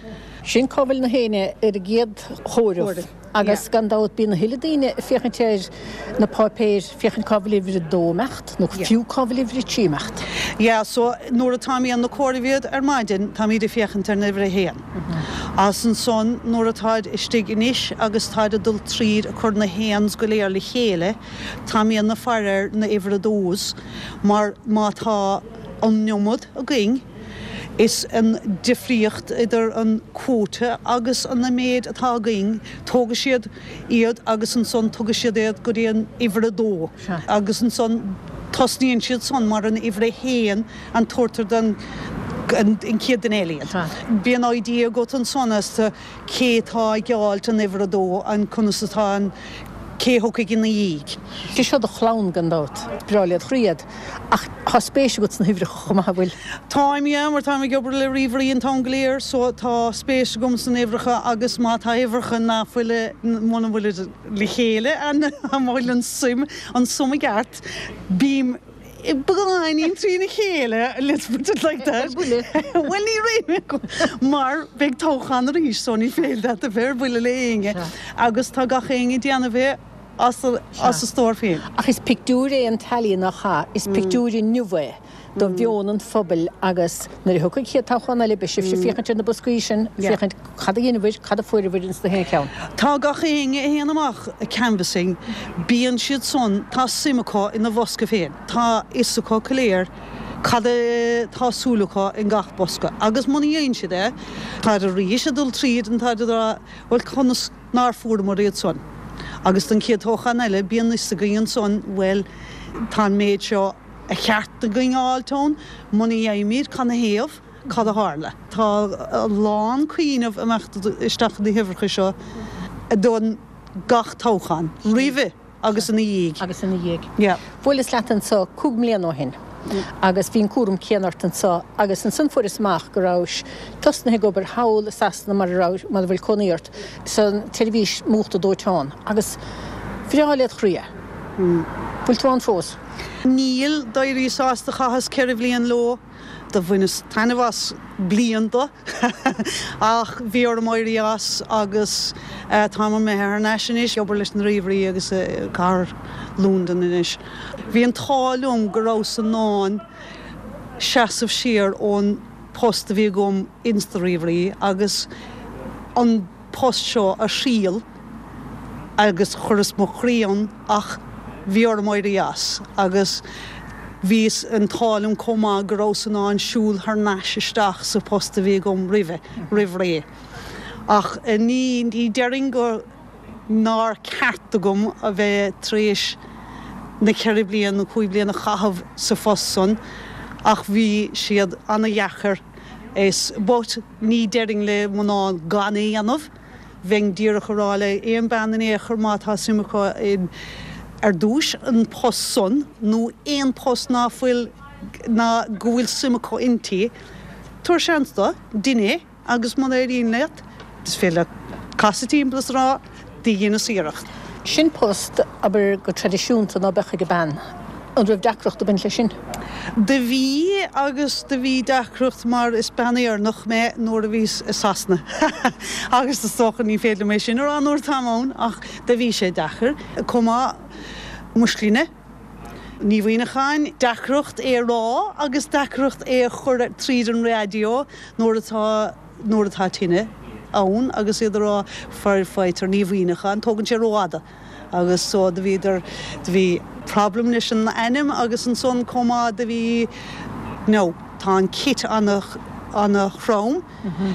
Sin cá bhfuil na héinne ar an gcéad chomhaireamh agus gan dabht bíonn a thuilleadh daoine ag féachaint ar na páipéir féachaint cá bhfuil uimhir a dó ag imeacht nó fiú cá bhfuil uimhir a trí ag imeacht. Yeah, so nuair atáimid ag comhaireamh iad ar maidin táimid ag féachaint ar an uimhir a haon. As ansan nuair atáid istigh anois agus táid ag dul tríd ag cur na haons go léir le chéile, táimid ag faire ar na uimhir a dós mar má tá an iomad againn, is an difríocht idir an quota agus an méid atá againn, tógfaidh siad iad agus ansan tógfaidh siad iad go dtí an uimhir a dó agus ansan tosnaíonn siad san mar an uimhir a haon an tabhartar don an chéad duine eile iad. Bíonn idea agat ansan as to cé atá ag fháilt an uimhir a dó, an conas atá an cé thiocfaidh ina dhiaidh. Sé seo do chlann gan dabht. Breá led chroí iad. Ach tá spéis agat sna huimhreacha chomh maith, an bhfuil? Táim, yeah, mar táim ag obair le ríomhairí an t-am go léir so tá spéis agam san uimhreacha agus má tá uimhreacha ná fuil, muna bhfuilid le chéile, an bhfuil an suim, an sum i gceart, bím beagáinín trína chéile, let's put it like that. Ar buile. Bhuel ní raibh mar beidh toghchán arís so ní féidir leat a bheith ar buile le éinne agus tá gach éinne ag déanamh é as a as a stór féin. Ach is pictiúr é an tally nach ea? Is pictiúr inniu é do mheon an phobail agus nuair a thiocfaidh an chéad toghchán eile beidh sibhse ag féachaint ar na boscaí sin, féachaint cad a dheineabhair, cad a fuaireabhair ins na haon cheann. Tá gach éinne a théann amach ag canvassing, bíonn siad san, tá suim acu ina bhosca féin, tá fhios acu go léir cad atá súil acu in gach bosca agus muna dhéanann siad é, táid arís ag dul tríd an táid ag rá bhuel conas nár fuaireamar iad san? Agus don chéad toghchán eile bíonn fhios againn ansan bhuel tá an méid seo a cheart againn a fháilt ann, muna bhfaighimid cad 'na thaobh, cad a tharla. Tá a lán cuimhneamh ag imeacht isteach na huimhreacha seo don gach toghchán, roimhe agus ina dhiaidh. Agus ina dhiaidh. Yeah. Bhuaileas leat anso cúig mbliana ó shin agus bhí an cúram céanna ort anso agus ansan fuaireas amach go rabhais tosnaithe ag obair thall i Sasana mar a raibh, mar a bhfuil cónaí ort, san tseirbhís múchta dóiteáin agus bhreá led chroí é. Bhfuil tú ann fós? Níl, d'éiríos as, do chaitheas ceithre bhliain leo, do bhaineas taitneamh as bliain de ach bhí orm éirí as agus táim imithe thar n-ais anois, ag obair leis na ríomhairí agus i gcathair Londain anois. Bhí an t-ádh liom go rabhas in ann seasamh siar ón post a bhí agam ins na ríomhairí agus an post seo a thriail agus chuireas mo chroí ann ach bhí orm éirí as agus bhí an t-ádh liom chomh maith go rabhas in ann siúl thar n-ais isteach sa post a bhí agam roimhe, roimh ré. Ach ní, ní déarfainn go nár ceart agam a bheith tar éis na ceithre bliana nó cúig bliana a chaitheamh sa phost san ach bhí siad ana-dheacair is, but ní déarfainn le mná gan é a dhéanamh. Bheinn díreach a rá le aon bean in aon chor má tá suim acu in, ar dtúis, an post san nó aon post ná fuil, ná go bhfuil suim acu inti, Tabhair seans dó, dein é agus muna éiríonn leat, is féidir leat casadh timpeall is a rá, do dheineas iarracht. Sin post, abair, go traidisiúnta ná beadh ag bean. An raibh deacracht ag baint leis sin? Do bhí agus do bhí deacracht mar is bean Éireannach mé nuair a bhíos i Sasana agus is dócha ní féidir liom é sin a rá nuair atáim ann ach do bhí sé deacair. Chomh maith mo shloinne, Ní Mhuineacháin, deacracht é a rá agus deacracht é a chur tríd an raidió nuair atá nuair atá tine ann agus iad a rá firefighter Ní Mhuineacháin, tógann sé rófhada agus so do bhíodar do bhí problem leis an ainm agus ansan chomh maith do bhí no tá an kit ana ana throm,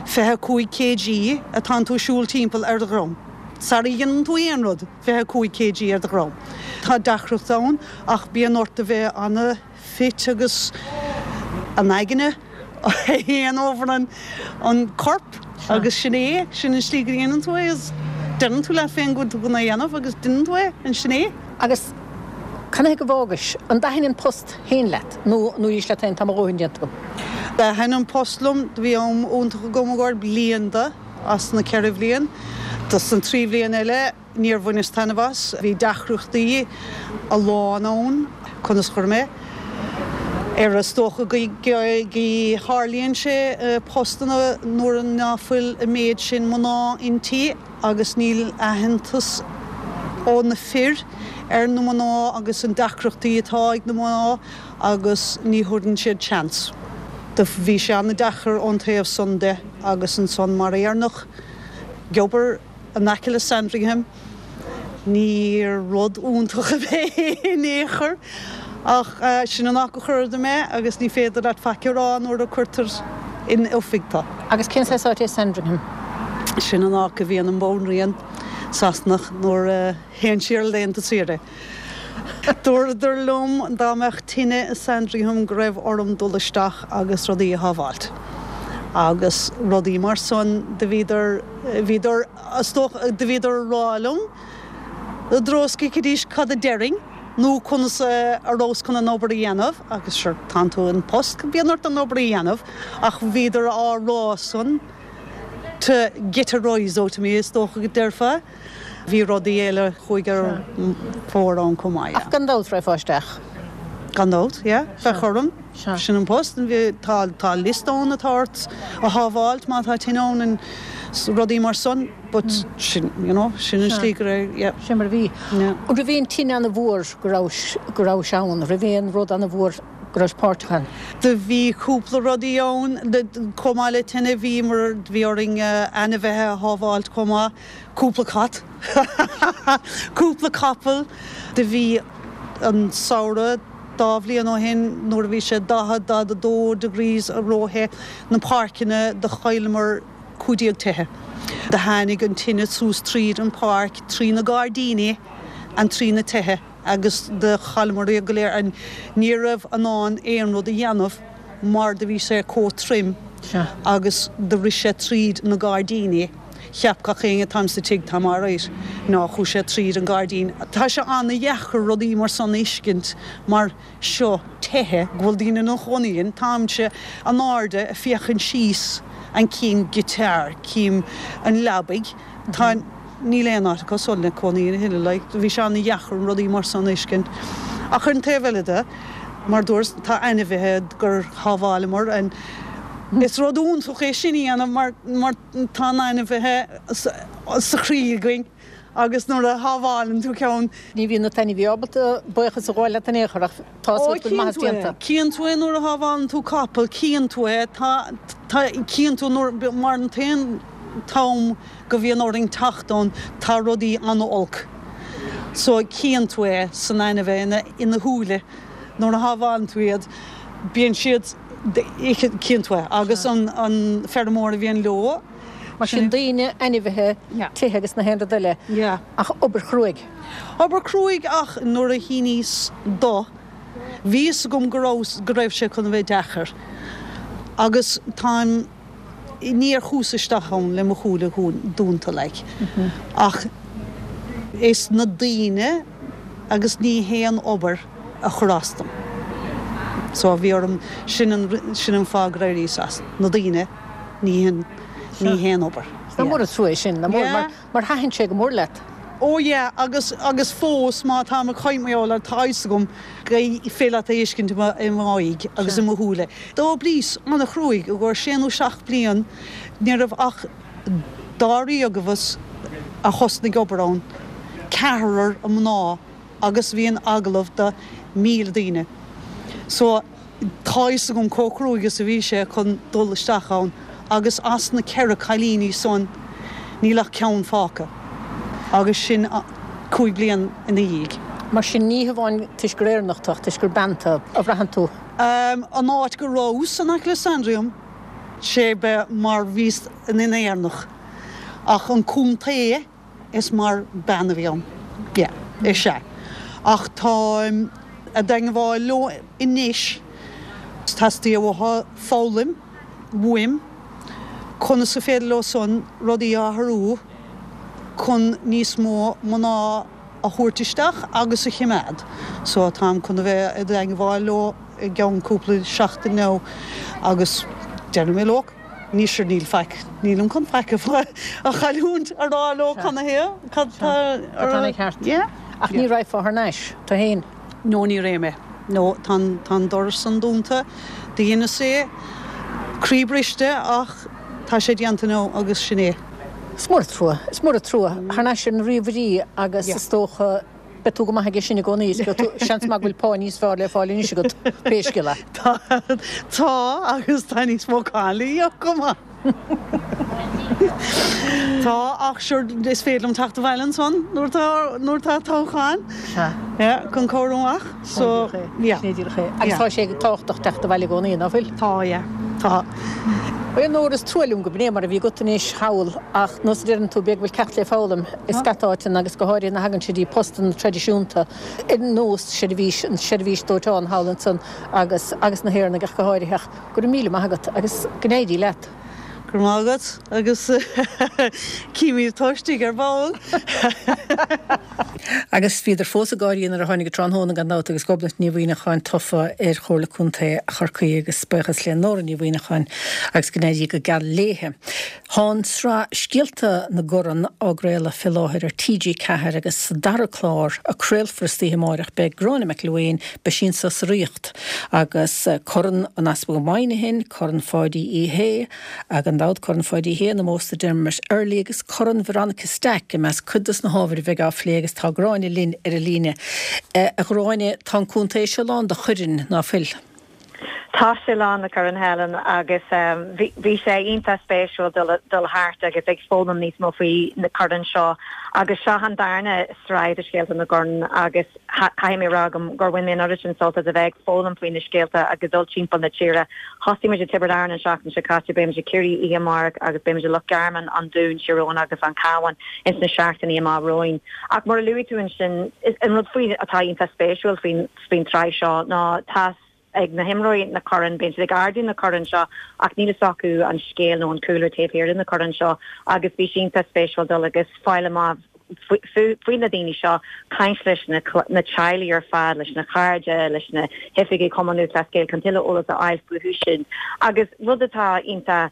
fiche cúig kg atánn tú ag siúl timpeall ar do dhrom. Sara dhéanann tú aon rud, fiche cúig kg ar do dhrom. Tá deacracht ann ach bíonn ort a bheith ana fit agus an aigne a théann over an an corp agus sin é, sin an slí go dhéanann tú é is deireann tú leat féin go bhfuil tú chun é a dhéanamh agus déanann tú é and sin é. Agus canathaobh go bhfágais? An dtaithin an post féin leat nó nó dúirt leat féin tá mo dhóthain déanta agam? Thaitin an post liom, do bhí am iontach agam ag gabháil bliain de as na ceithre bhliain. Dos an trí bhliain eile níor bhaineas taitneamh as, bhí deacrachtaí a lán ann, conas a chuir mé ar is dócha go tharlaíonn sé postanna nuair ná fuil an méid sin mná inti agus níl aitheantas ó na fir ar na mná agus an deacrachtaí atá ag na mná agus ní thugann siad seans. Do bhí sé an-deacair ón taobh san de agus ansan mar Éireannach ag obair in aice le Sandringham ní rud iontach a bheith in aon chor ach sin an áit a chuireadar mé agus ní féidir leat faic a rá nuair a cuirtear in oifig tú. Agus cén saghas áit é Sandringham? Sin an áit a bhíonn an Bhanríon Sasanach nuair a théann sí ar laethanta saoire. Dúradar liom dá mbeadh tine i Sandringham go raibh orm dul isteach agus rudaí a shábháilt agus rudaí mar san do bhíodar bhíodar is dócha do bhíodar a rá liom i dtreo is go bhfeicfidís cad a déarfainn nó conas a rabhas chun an obair a dhéanamh agus sure tánn tú in post bíonn ort an obair a dhéanamh ach bhíodar á rá san to get a rise out of me is dócha go déarfá. Bhí rudaí eile chuaigh ar fóir ann chomh maith, yeah. Ach gan dabht raghfá isteach. Gan dabht, yeah. Bheadh orm. Sin an post. Tá tá liosta ann atá ort a shábháilt má tá tine ann and rudaí mar san but sin, you know, sin an slí go raibh, yeah. Sin mar a bhí. Yeah. An raibh aon tine an-mhór go raibh go raibh ann? Raibh aon rud an-mhór go raibh páirteach ann? Do bhí cúpla rudaí ann, chomh maith le tine bhí mar bhí orainn ainmhithe a shábháilt chomh maith, cúpla cat, cúpla capall. Do bhí an samhradh dá bhliain ó shin nuair a bhí sé daichead, daichead a dó degrees róthe, na páirceanna do chailleamar cúig déag tithe. Do tháinig an tine suas tríd an páirc, trí na gairdíní and trí na tithe agus do chailleamar iad go léir and ní raibh in ann aon rud a dhéanamh mar do bhí sé chomh trim agus do rith sé tríd na gairdíní. Cheap gach éinne táim sa tigh táim alright. Ná chuaigh sé tríd an gairdín. Tá sé an-dheacair rudaí mar san a fheiscint mar seo tithe go bhfuil daoine ina chónaí ann. Táimse in airde ag féachaint síos and cím guitar, cím an leabaidh. Tá, níl aon áit acu san le cónaí a thuilleadh like. Bhí sé an-dheacair rudaí mar san a fheiscint. Ach ar an taobh eile de, mar dúirt, tá ainmhithe gur shábháileamar and is rud iontach é sin a dhéanamh mar, mar tá na hainmhithe sa chroí againn agus nuair a shábhálann tú ceann. Ní bhíonn na t-ainmhí ábalta buíochas a ghabháil leat in aon chor ach tá a fhios agat go bhfuil maitheas déanta. Cíonn tú é nuair a shábhálann tú capall, cíonn tú é, tá, tá, cíonn tú nuair, mar an t-aon t-am go bhíonn orainn teacht ann tá rudaí an-olc. So cíonn tú é san ainmhithe ina, ina shúile nuair a shábhálann tú iad, bíonn siad, cíonn tú é agus an, an feirmeoir a bhíonn leo. Mar sin daoine, ainmhithe, tithe agus na haon rud eile. Ach obair chruaidh. Obair chruaidh ach nuair a shíníos do, bhí fhios agam go raibh, go raibh sé chun a bheith deacair agus táim, níor chuas isteach ann le mo shúile dúnta like. Ach is na daoine agus ní hé an obair a chuir as dom. So bhí orm sin an sin an fáth gur éiríos as na daoine ní hin ní haon obair. Is mór an trua é sin, mar mar thaitin sé go mór leat. Ó yeah, agus agus fós má táim ag caint mar gheall air tá fhios agam go féidir leat é a fheiscint i m'aghaidh agus i mo shúile. D'oibríos an-chruaidh i gcomhair sé nó seacht bliain, ní raibh ach dáréag abhus a thosnaigh obair ann, ceathrar mná agus bhí an agallamh do míle daoine. So tá fhios agam chomh cruaidh is a bhí sé chun dul isteach ann agus as na ceithre cailíní san níl ach ceann fágtha agus sin cúig bliain ina dhiaidh. Mar sin ní hamháin toisc gur Éireannach tú ach toisc gur bean tú a bhraitheann tú. An áit go rabhas in aice le Sandringham, sé be mar bhíos ina Éireannach ach an contae is mar bean a bhí ann. Yeah, is ea. Ach táim i dteangmháil leo anois. Teastaíonn uathu foghlaim uaim conas is féidir leo san rudaí a athrú chun níos mó mná a thabhairt isteach agus a chimeád. So táim chun a bheith i dteangmháil leo i gceann cúpla seachtain nó agus déarfaidh mé leo ní sure níl faic, nílim chun faic a chailliúint a rá leo canathaobh, cad tá Cad tá ceart. Yeah. Ach ní raghfá thar n-ais, tú féin? No ní raghaidh mé. No, tá an, tá an doras san dúnta, do dheineas é, croí briste ach tá sé déanta now agus sin é. Is mór an trua, is mór an trua. Thar n-ais ar na ríomhairí agus Yeah. is dócha beidh tú go maith aige sin i gcónaí, is beidh tú, seans maith go bhfuil pá níos fearr le fáil anois agat, pé scéal é. Tá, tá agus tá níos mó cáin le íoc chomh maith. Tá, ach sure is féidir liom teacht abhaile ansan nuair atá, nuair atá toghchán. Sea. Yeah, chun cabhrú amach. So, yeah. Sin é díreach é. Agus tá sé tábhachtach teacht abhaile i gcónaí, ná fuil? Tá, yeah. Tá. Bhuel, a Nóra, is trua liom go b'in é mar a bhí agat anois thall, ach nós a deireann tú, b'fhéidir go bhfuil ceacht le foghlaim i scata áiteanna agus go háirithe nuair a thagann sé dtí postanna traidisiúnta ar nós seirbhís, an seirbhís dóiteáin thall ansan agus, agus na hÉireannaigh ach go háirithe. Ach go raibh míle maith agat agus go n-éirí leat. Go raibh maith agat agus címid tú istigh ar ball. Agus bhíodar fós ag gáirí nuair a tháinig an tráthnóna gan dabht agus Gobnait Ní Mhuimhneacháin tofa ar Chomhairle Contae Chorcaí agus buíochas le Nóra Ní Mhuimhneacháin agus go n-éirí go geal léithe. Tá an tsraith Scéalta na gCorn á gcraoladh fé láthair ar T G ceathair agus sa dara clár a craolfar istoíche amáireach beidh Gráinne McElwain, beidh sí anso sa Ríocht agus Corn an Easpaig Moynihan, Corn Pháidí Uí Shé, gan dabht Corn Pháidí Uí Shé in ómós do Dermot Earley agus Corn Veronica Stack i measc cuid dos na hábhair a bheidh á phlé agus tá Gráinne linn ar an líne. A Ghráinne, tá an contae seo lán de choirn, ná fuil? Tá sé lán de choirn Helen agus bhí sé iontach spéisiúil dul thart agus ag foghlaim níos mó faoi na coirn seo agus seo an darna sraith de Scéalta na gCorn agus caithfidh mé rá gur bhain mé an oiread sin sult as a bheith ag foghlaim faoi na scéalta agus dul timpeall na tíre. Thosaigh muid i Tiobraid Árann an seachtain seo caite, beidh muid i Ciarraí oíche amárach agus beidh muid i Loch Garman, An Dún, Tír Eoghain agus An Cabhán ins na seachtainí amach romhainn. Ach mar a luaigh tú ansin, an rud faoi atá iontach spéisiúil faoin faoin tsraith seo ná tá ag na himreoirí na coirn, bíonn siad ag ardú na coirn seo ach níl fhios acu an scéal nó an cúlra taobh thiar de na coirn seo agus bhí sé iontach spéisiúil dul agus fáil amach faoi na daoine seo, caint leis na teaghlaigh ar fad, leis na cairde, leis na hoifigigh Chumann Lúthchleas Gael chun tuilleadh eolas a fháil fúthu sin. Agus rud atá iontach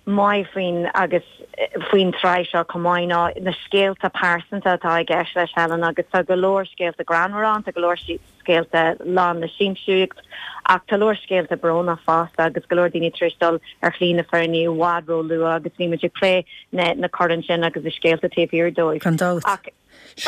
maith faoin agus faoin tsraith seo chomh maith ná na scéalta pearsanta atá i gceist leis Helen agus tá go leor scéalta greannmhara ann, tá go leor scéalta lán le siamsaíocht ach tá leor scéalta brónach fosta agus go leor daoine tar éis dul ar shlí na fírinne i bhfad ró-luath agus bhí muid ag plé na na coirn sin agus na scéalta taobh thiar dóibh. Gan dabht. Ach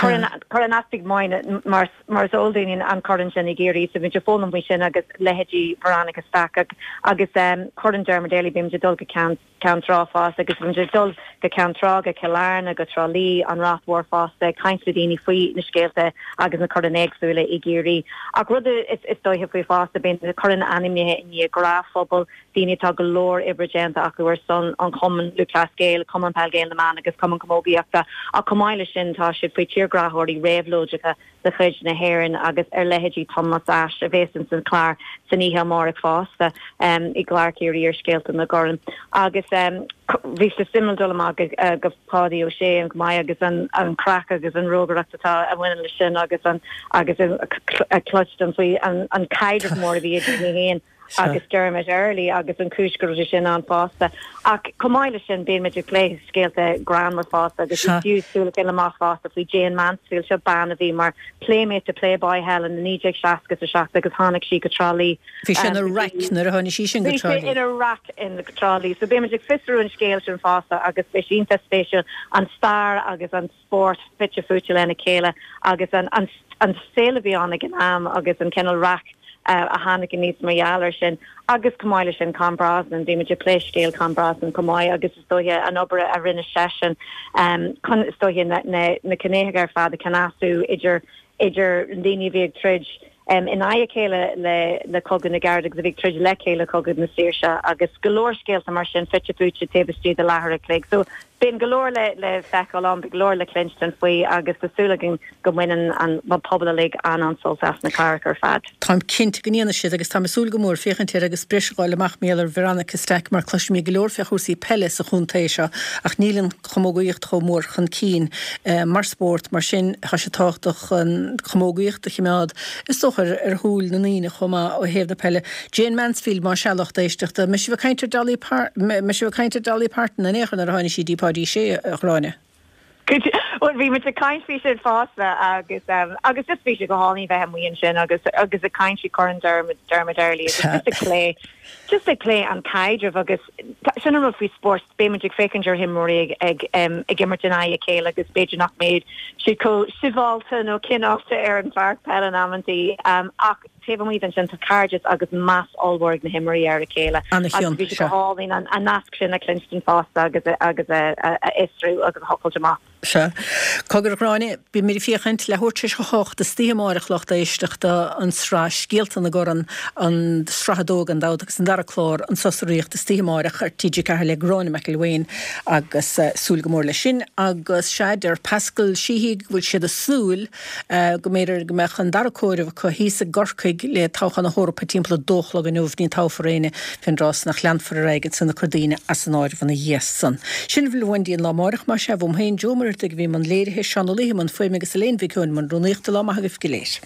Corn Corn an Easpaig Moynihan mar mar is eol dúinn an corn sin i gCiarraí so bhí muid ag foghlaim faoi sin agus leithéidí Veronica Stack agus Corn Dermot Earley bhí muid ag dul go Ceann Ceann Trá fosta agus bhí muid ag dul go Ceann Trá, go Cill Airne, go Trá Lí, an Ráth Mhór fosta, ag caint le daoine faoi na scéalta agus na coirn éagsúla i gCiarraí. Ach rud is is dóiche faoi fosta, bíonn na coirn ainmnithe i ndiaidh gnáthphobal, daoine atá go leor oibre déanta acu ar son an Chumann Lúthchleas Gael, Cumann Peil Gael na mBan agus Cumann Camógaíochta. Ach chomh maith leis sin tá siad faoi tírghráthóirí réabhlóideacha de chuid na hÉireann agus ar leithéidí Thomas Ashe a bheas ins an chlár san oíche amárach fosta um, i gclár Ciarraí ar Scéalta na gCorn. Agus um, bhí sé suimiúil dul amach uh, go Páidí Ó Sé an go maith agus an, an craic agus an rógaireacht atá a bhaineann leis sin agus an agus a chloisteáil faoi an, an caidreamh mór a bhí idir é féin agus Dermot Earley agus an chúis go raibh sin ann fosta. Ach chomh maith leis sin beimid ag plé scéalta greannmhar fosta agus fiú súil amach fosta faoi Jayne Mansfield seo bean a bhí mar Playmate to Playboy Helen na naoi déag seasca a seacht agus tháinig sí go Trá Lí. Bhí sin ina raic nuair a tháinig sí sin go Trá Lí. ina raic in Trá Lí, so beimid ag fiosrú an scéal sin fosta agus beidh iontach spéisiúil an stair agus an spórt fite fuaite lena chéile agus an, an, an saol a bhí ann ag an am agus an cineál raic uh, a tháinig aníos mar gheall air sin agus chomh maith leis sin Con Brosnan bhí ag plé scéal Con Brosnan chomh maith agus is dóiche an obair a rinne seisean um, chun is dóiche na, na, na ciníocha ar fad a chneasú idir idir daoine bhí ag troid um, in aghaidh a chéile le le Cogadh na gCarad agus a bhí ag troid le chéile Cogadh na Saoirse agus go leor scéalta mar sin fite fuaite taobh istigh de leathuair a chloig. So bíonn go leor le le feiceáil ann go leor le cluinstin faoi agus tá súil againn go mbaineann an pobal uilig an an-sult as na cláracha ar fad. Táim cinnte go ndéanfaidh siad agus tá súil go mór féachaint air agus breis a fháil amach mar ar Veronica Stack mar cloisimid go leor fé chúrsaí peile sa chontae seo ach níl an chamógaíocht chomh mór chun cinn eh, mar spórt mar sin tá sé tábhachtach an chamógaíocht a choimeád is dócha ar shúil na ndaoine chomh maith ó thaobh na peile. Jayne Mansfield má sea lucht éisteachta, me si caiintear Dolly Par me si caiintear Dolly Parton an échan ar tháinig sí dí Páidí sé a Ghráinne. Well bhí muid ag caint faoi sin fosta agus um, agus just bhí sé go hálainn bheith amuigh ansin agus agus ag caint faoi Corn Dermot Dermot Earley agus just ag plé just ag plé an caidreamh agus sin an rud faoi spórt beimid ag féachaint ar imreoirí ag ag um, ag imirt in aghaidh a chéile agus b'fhéidir nach mbeidh siad chomh sibhialta nó cineálta ar an pháirc peile in amantaí um, ach taobh amuigh den sin tá cairdeas agus meas ollmhór ag na himreoirí ar a chéile An-chion, bhí sé seo. go hálainn an an nasc sin a chluinstin fosta agus a- agus a a- a fhiosrú agus a thochailt amach. Se Cogar Gráinne beimid ag féachaint leathuair tar éis a hocht istoíche amárach lucht éisteachta an sraith Scéalta na gCorn an sraith a dó gan dabht agus an dara clár an sosraíocht istoíche amárach ar T G Ceathair le Gráinne McElwain agus uh, súil go mór leis sin agus sé deir Pascal Sheehy go bhfuil siad ag súil uh, go mb'fhéidir go mbeadh an dara comhaireamh acu thíos i gCorcaigh le toghchán na hEorpa timpeall a dó a chlog inniu ní toghfar éinne fén dtráth nach leanfar ar aghaidh san cur daoine as an áireamh ina dhiaidh san. Sin bhfuil bhain an lá amárach mar sé bhm féin Joe Muirteig bhí an léirithe Seán Ó Liam an fuaim agus Elaine Mhic Eoin i mbun rúnaíochta lá maith agaibh go léir.